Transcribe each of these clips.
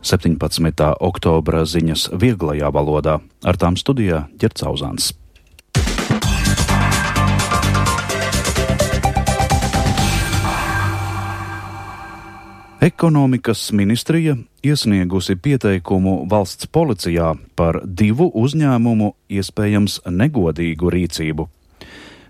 17. oktobra ziņas vieglajā valodā. Ar tām studijā Ģerts Auzāns. Ekonomikas ministrija iesniegusi pieteikumu valsts policijā par 2 uzņēmumu iespējams negodīgu rīcību.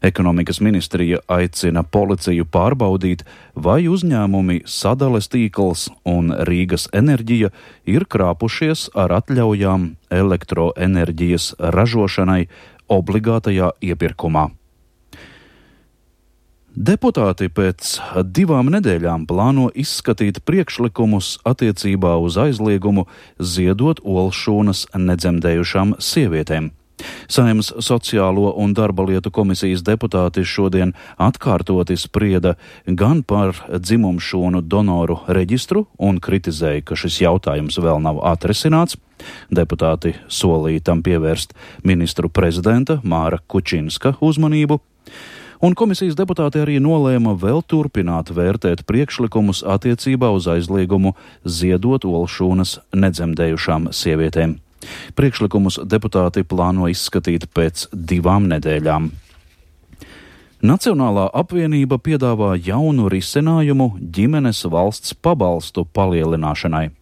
Ekonomikas ministrija aicina policiju pārbaudīt, vai uzņēmumi Sadales tīkls un Rīgas enerģija ir krāpušies ar atļaujām elektroenerģijas ražošanai obligātajā iepirkumā. Deputāti pēc 2 nedēļām plāno izskatīt priekšlikumus attiecībā uz aizliegumu ziedot olšūnas nedzemdējušām sievietēm. Saeimas Sociālo un darba lietu komisijas deputāti šodien atkārtoti sprieda gan par dzimumšūnu donoru reģistru un kritizēja, ka šis jautājums vēl nav atrisināts. Deputāti solīja tam pievērst ministru prezidenta Māra Kučinska uzmanību. Un komisijas deputāti arī nolēma vēl turpināt vērtēt priekšlikumus attiecībā uz aizliegumu ziedot olšūnas nedzemdējušām sievietēm. Priekšlikumus deputāti plāno izskatīt pēc 2 nedēļām. Nacionālā apvienība piedāvā jaunu risinājumu ģimenes valsts pabalstu palielināšanai.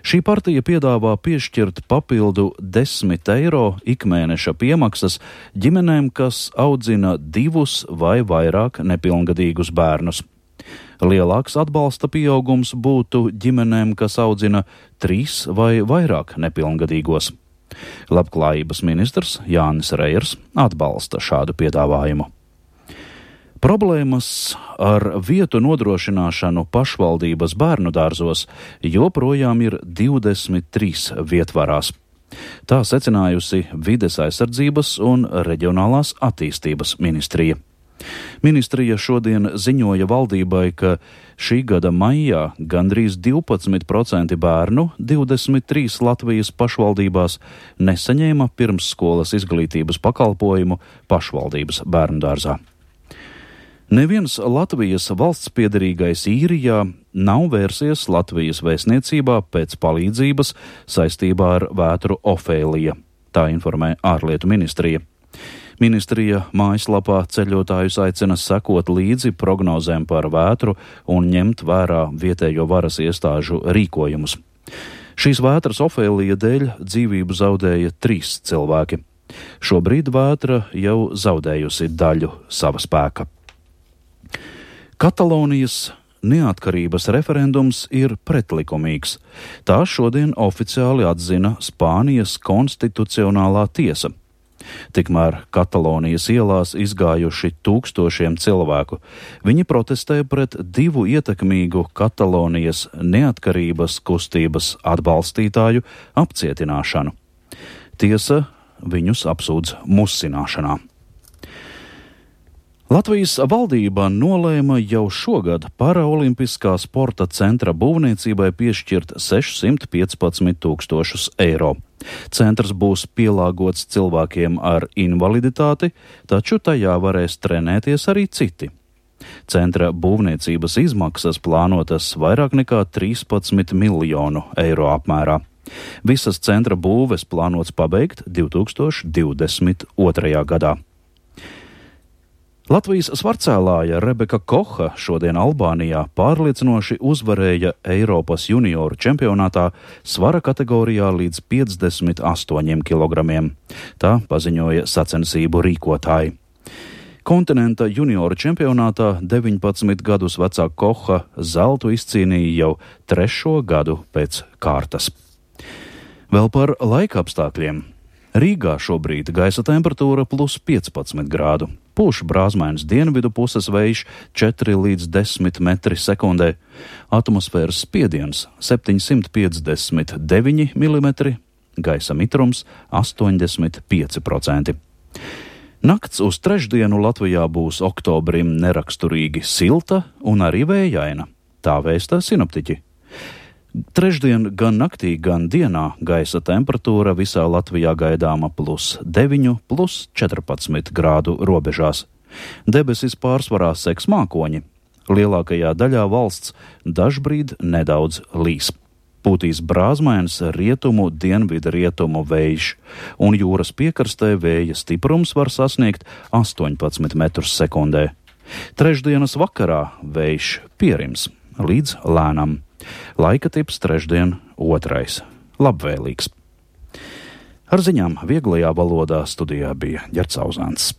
Šī partija piedāvā piešķirt papildu 10 eiro ikmēneša piemaksas ģimenēm, kas audzina 2 vai vairāk nepilngadīgus bērnus. Lielāks atbalsta pieaugums būtu ģimenēm, kas audzina 3 vai vairāk nepilngadīgos. Labklājības ministrs Jānis Reiers atbalsta šādu piedāvājumu. Problēmas ar vietu nodrošināšanu pašvaldības bērnu dārzos joprojām ir 23 vietvarās. Tā secinājusi Vides aizsardzības un reģionālās attīstības ministrija. Ministrija šodien ziņoja valdībai, ka šī gada maijā gandrīz 12% bērnu 23 Latvijas pašvaldībās nesaņēma pirmsskolas izglītības pakalpojumu pašvaldības bērndārzā. Neviens Latvijas valsts piederīgais Īrijā nav vērsies Latvijas vēstniecībā pēc palīdzības saistībā ar vētru Ofēlija, tā informē ārlietu ministrija. Ministrija mājaslapā ceļotājus aicina sekot līdzi prognozēm par vētru un ņemt vērā vietējo varas iestāžu rīkojumus. Šīs vētras Ofēlija dēļ dzīvību zaudēja 3 cilvēki. Šobrīd vētra jau zaudējusi daļu sava spēka. Katalonijas neatkarības referendums ir pretlikumīgs. Tā šodien oficiāli atzina Spānijas konstitucionālā tiesa. Tikmēr Katalonijas ielās izgājuši tūkstošiem cilvēku. Viņi protestē pret 2 ietekmīgu Katalonijas neatkarības kustības atbalstītāju apcietināšanu. Tiesa viņus apsūdz musināšanā. Latvijas valdība nolēma jau šogad paraolimpiskā sporta centra būvniecībai piešķirt 615 000 eiro. Centrs būs pielāgots cilvēkiem ar invaliditāti, taču tajā varēs trenēties arī citi. Centra būvniecības izmaksas plānotas vairāk nekā 13 miljonu eiro apmērā. Visas centra būves plānots pabeigt 2022. gadā. Latvijas svarcēlāja Rebeka Koha šodien Albānijā pārliecinoši uzvarēja Eiropas junioru čempionātā svara kategorijā līdz 58 kilogramiem. Tā paziņoja sacensību rīkotāji. Kontinenta junioru čempionātā 19 gadus vecā Koha zeltu izcīnīja jau 3. gadu pēc kārtas. Vēl par laikapstākļiem. Rīgā šobrīd gaisa temperatūra +15 grādu. Pūš brāzmains dienvidu puses vējš 4 līdz 10 metri sekundē. Atmosfēras spiediens 759 mm, gaisa mitrums 85%. Nakts uz trešdienu Latvijā būs oktobrim neraksturīgi silta un arī vējaina. Tā vēsta sinoptiķi. Trešdien gan naktī, gan dienā gaisa temperatūra visā Latvijā gaidāma +9, +14 grādu robežās. Debesis pārsvarā seks mākoņi. Lielākajā daļā valsts dažbrīd nedaudz līs. Pūtīs brāzmains rietumu dienvidu rietumu vējš, un jūras piekrastē vēja stiprums var sasniegt 18 metrus sekundē. Trešdienas vakarā vējš pierims līdz lēnam. Laika tips trešdien 2. Labvēlīgs. Ar ziņām vieglajā valodā studijā bija Ģerts Auzāns.